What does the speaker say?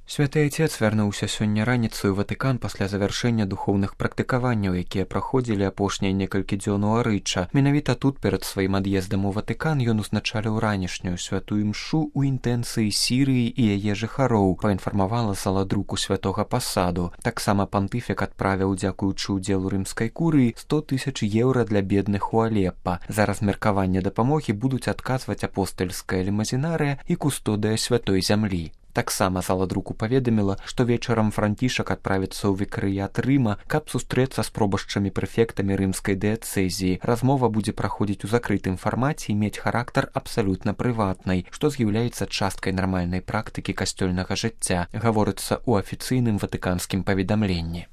Святы Отец вярнуўся сёння раніцай у Ватыкан пасля завяршэння духоўных практыкаванняў, якія праходзілі апошнія некалькі дзён у Арыча. Менавіта тут перад сваім ад'ездам у Ватыкан ён узначаліў ранішнюю святую імшу ў інтэнцыі Сірыі і яе жыхароў, паінфармавала зала друку святога пасаду. Таксама пантыфік адправіў, дзякуючы ўдзелу рымскай курыі, 100 000 еўра для бедных у Алеппа. За размеркаванне дапамогі будуць адказваць апостальская лімазінарыя і кустодыя святой зямлі. Таксама зала друку паведаміла, што вечарам Францішак адправіцца ў вікарыят Рыма, каб сустрэцца з пробашчамі-прэфектамі рымскай дыяцэзіі. Размова будзе праходзіць у закрытым фармаце і мець характар абсалютна прыватнай, што з'яўляецца часткай нармальнай практыкі касцёльнага жыцця, гаворыцца ў афіцыйным ватыканскім паведамленні.